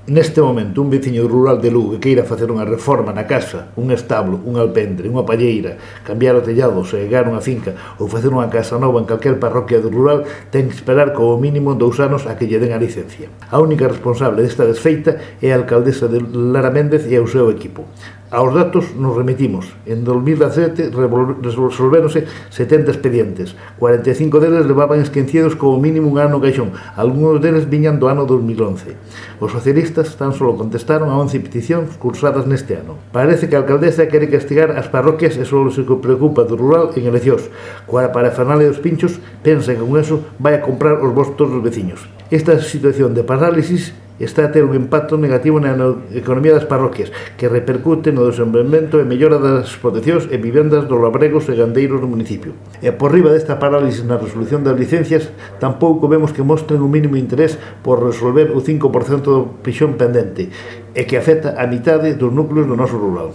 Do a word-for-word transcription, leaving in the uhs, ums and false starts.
Neste momento, un veciño rural de Lugo que queira facer unha reforma na casa, un establo, un alpendre, unha palleira, cambiar o tellado, segar unha finca ou facer unha casa nova en calquer parroquia do rural, ten que esperar como mínimo dous anos a que lle den a licencia. A única responsable desta desfeita é a alcaldesa de Lara Méndez e o seu equipo. Aos datos nos remitimos. En dos mil dezasete resolvéronse setenta expedientes. cuarenta e cinco deles levaban esquecidos como mínimo un ano caixón. Algúns deles viñan do ano dos mil once. Os socialistas tan só contestaron a once peticións cursadas neste ano. Parece que a alcaldesa quere castigar as parroquias e só se preocupa do rural en eleccións. Coa parafernalia dos pinchos, pensa que con eso vai a comprar os votos dos veciños. Esta situación de parálisis está a ter un impacto negativo na economía das parroquias, que repercute no desenvolvemento e mellora das explotacións e vivendas dos labregos e gandeiros do municipio. E por riba desta parálisis na resolución das licencias, tampouco vemos que mostren un mínimo interés por resolver o cinco por cento do pixón pendente, e que afecta a mitade dos núcleos do noso rural.